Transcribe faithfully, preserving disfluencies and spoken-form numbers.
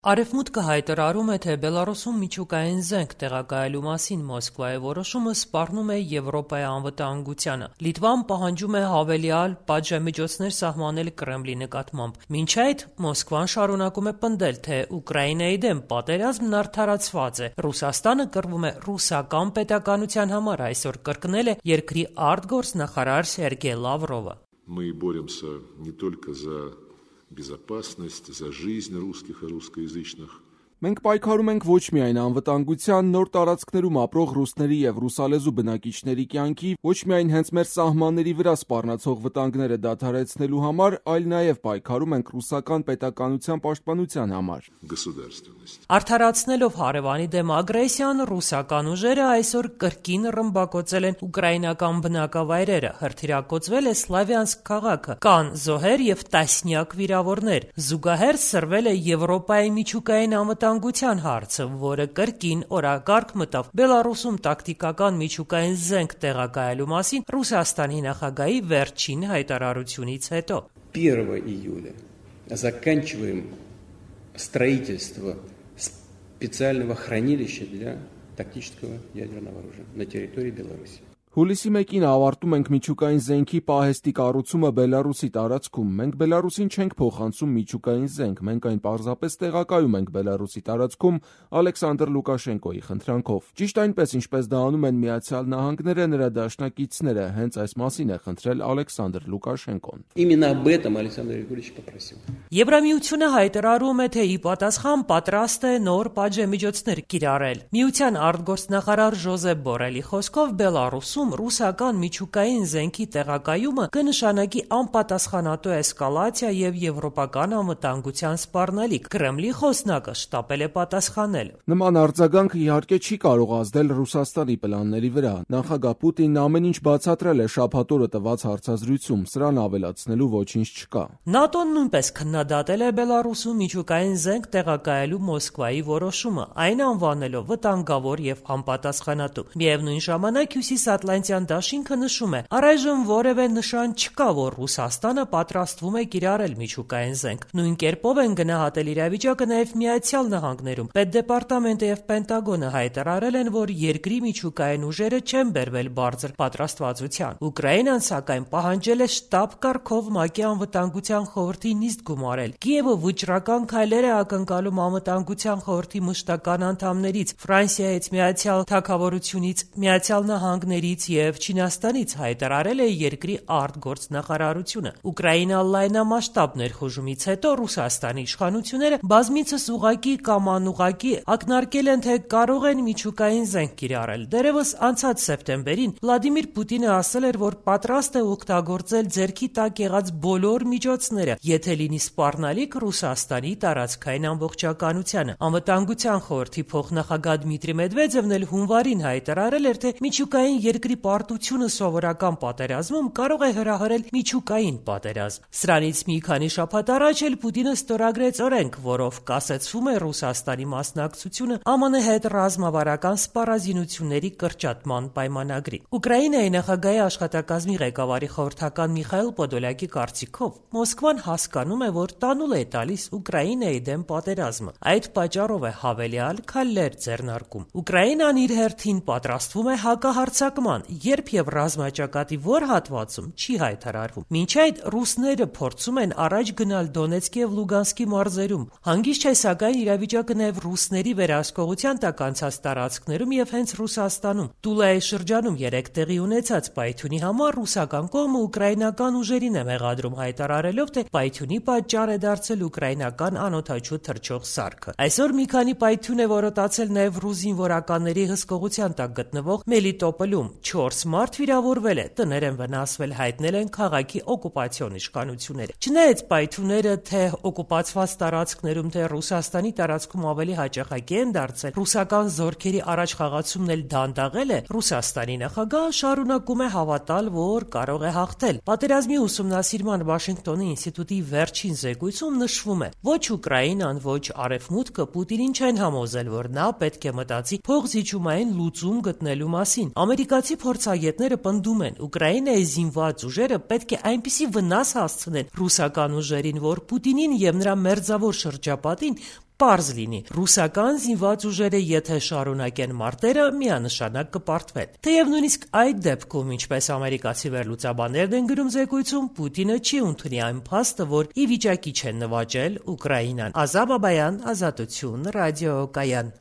Արևմուտքը հայտարարում է, թե Բելարուսում միջուկային զենք տեղակայելու մասին Մոսկվայի որոշումը սպառնում է Եվրոպայի անվտանգությանը։ Լիտվան պահանջում է հավելյալ պատժամիջոցներ սահմանել Կրեմլի նկատմամբ։ Մինչ այդ Մոսկվան շարունակում է պնդել, թե Ուկրաինայի դեմ պատերազմն արդարացված է։ Ռուսաստանը կռվում է ռուսական պետականության համար, այսօր կրկնել է երկրի արտգործնախարար Սերգեյ Լավրովը։ Мы боремся не только за безопасность, за жизнь русских и русскоязычных. Մենք պայքարում ենք ոչ միայն անվտանգության, նոր տարածքներում ապրող ռուսների եւ ռուսալեզու բնակիչների կյանքի, ոչ միայն հենց մեր սահմանների վրա սպառնացող վտանգները դադարեցնելու համար, այլ նաեւ պայքարում ենք ռուսական պետականության պաշտպանության համար։ Արդարացնելով հարևանի դեմ ագրեսիան, ռուսական ուժերը այսօր կրկին ռմբակոծել են ուկրաինական բնակավայրերը, հրթիռակոծվել է Սլավյանսկ քաղաքը, կան զոհեր եւ տասնյակ վիրավորներ։ Զուգահեռ սրվել է Եվրոպայի միջուկային անվտանգության հարցը, որը կրկին օրակարգ մտավ Բելարուսում տակտիկական միջուկային զենք տեղակայելու մասին Ռուսաստանի նախագահի վերջին հայտարարությունից հետո։ первого июля заканчиваем строительство специального хранилища для тактического ядерного оружия на территории Беларуси. Հուլիսի մեկին ավարտում ենք միջուկային զենքի պահեստի կառուցումը Բելարուսի տարածքում։ Մենք Բելարուսին չենք փոխանցում միջուկային զենք, մենք այն պարզապես տեղակայում ենք Բելարուսի տարածքում Ալեքսանդր Լուկաշենկոյի խնդրանքով։ Ճիշտ այնպես, ինչպես դա անում են Միացյալ Նահանգները, նրա դաշնակիցները, հենց այս մասին է խնդրել Ալեքսանդր Լուկաշենկոն։ Именно об этом Александр Григорьевич попросил. Եվրամիությունը հայտարարում է, թե ի պատասխան պատրաստ է նոր պատժամիջոցներ կիրառել։ Միության արտգործնախարար Ժոզեփ Բորելի խոսքով Բելարուսում ռուսական միջուկային զենքի տեղակայումը կնշանակի անպատասխանատու էսկալացիա եւ եվրոպական անվտանգության սպառնալիք։ Կրեմլի խոսնակը շտապել է պատասխանել։ Նման արձագանքը իհարկե չի կարող ազդել Ռուսաստանի պլանների վրա։ Նախագահ Պուտինն ամեն ինչ բացատրել է շաբաթ օրը տված հարցազրույցում, սրան ավելացնելու ոչինչ չկա։ ՆԱՏՕ-ն նույնպես քննադատել է Բելարուսում միջուկային զենք տեղակայելու Մոսկվայի որոշումը, այն անվանելով վտանգավոր եւ անպատասխանատու։ Միևնույն ժամանակ Հյուսիսատլանտյան դաշինքը նշում է, առայժմ որևէ նշան չկա, որ Ռուսաստանը պատրաստվում է կիրառել միջուկային զենք։ Նույն կերպով են գնահատել իրավիճակը նաեւ Միացյալ Նահանգներում։ Պետդեպարտամենտը եւ Պենտագոնը հայտարարել են, որ երկրի միջուկային ուժերը չեն բերվել բարձր պատրաստվածության։ Ուկրաինան, սակայն, պահանջել է շտաբ կարգով ՄԱԿ-ի անվտանգության խորհրդի նիստ գումարել։ Կիևը վճռական քայլեր է ակնկալում անվտանգության խորհրդի մշտական անդամներից, Ֆրանսիայից, Միացյալ Թագավորությունից, Միացյալ Նահանգներից եւ Չինաստանից, հայտարարել է երկրի արտգործնախարարությունը։ Ուկրաինա լայնամասշտաբ ներխուժումից հետո Ռուսաստանի իշխանությունները բազմիցս ուղակի կամ անուղակի ակնարկել են, թե կարող են միջուկային զենք կիրառել։ Դերևս անցած սեպտեմբերին Վլադիմիր Պուտինը ասել էր, որ պատրաստ է օգտագործել ձեռքի տակ եղած բոլոր միջոցները, եթե լինի սպառնալիք Ռուսաստանի տարածքային ամբողջականությանը։ Անվտանգության խորհրդի փոխնախագահ Դմիտրի Մեդվեդևն էլ հունվարին հայտարարել էր, թե միջուկային երկրի պարտությունը սովորական պատերազմում կարող է հրահրել միջուկային պատերազմ։ Սրանից մի քանի շաբաթ առաջ էլ Պուտինը ստորագրեց օրենք, որով կասեցվում է Ռուսաստանի մասնակցությունը ԱՄՆ հետ ռազմավարական սպառազինությունների կրճատման պայմանագրի։ Ուկրաինայի նախագահի աշխատակազմի ղեկավարի խորհրդական Միխայիլ Պոդոլյակի կարծիքով Մոսկվան հասկանում է, որ տանուլ է տալիս Ուկրաինայի դեմ պատերազմը։ Այդ պատճառով է հավելյալ քայլեր ձեռնարկում։ Ուկրաինան իր հերթին պատրաստվում է հակահարձակման, երբ եւ ռազմաճակատի որ հատվածում չի հայտարարվում։ Մինչ այդ ռուսները փորձում են առաջ գնալ Դոնեցկի եւ Լուգանսկի մարզերում։ Հանգիստ չէ, սակայն իրավիճակը նաեւ ռուսների վերահսկողության տակ անցած տարածքներում եւ հենց Ռուսաստանում։ Տուլայի շրջանում երեք տեղի ունեցած պայթյունի համար ռուսական կողմը ուկրաինական ուժերին է մեղադրում, հայտարարելով, թե պայթյունի պատճառ է դարձել ուկրաինական անօդաչու թռչող սարքը։ Այսօր մի քանի պայթյուն է որոտացել նաեւ ռուս զինվորականների հսկողության տակ գտնվող Մելիտոպոլում չորս մարդ վիրավորվել է, տներ են վնասվել, հայտնել են քաղաքի օկուպացիոն իշխանությունները։ Չնայած պայթյունները թե օկուպացված տարածքներում, թե Ռուսաստանի տարածքում ավելի հաճախակի են դարձել, ռուսական զորքերի առաջխաղացումն էլ դանդաղել է, Ռուսաստանի նախագահը շարունակում է հավատալ, որ կարող է հաղթել։ Պատերազմի ուսումնասիրման Վաշինգտոնի ինստիտուտի վերջին զեկույցում նշվում է, ոչ Ուկրաինան, ոչ Արևմուտքը Պուտինին չեն համոզել, որ նա պետք է մտածի փոխզիջումային լուծում գտնելու մասին։ Ամերիկացի փորձագետները պնդում են, Ուկրաինայի զինված ուժերը պետք է այնպիսի վնաս հասցնեն ռուսական ուժերին, որ Պուտինին եւ նրա մերձավոր շրջապատին պարզ լինի, ռուսական զինված ուժերը եթե շարունակեն մարտերը, միանշանակ կպարտվեն։ Թեև նույնիսկ այդ դեպքում, ինչպես ամերիկացի վերլուծաբաններն են գրում զեկույցում, Պուտինը չի ընդունի այն փաստը, որ ի վիճակի չեն նվաճել Ուկրաինան։ Ազա Բաբայան, Ազատություն, ռադիոկայան։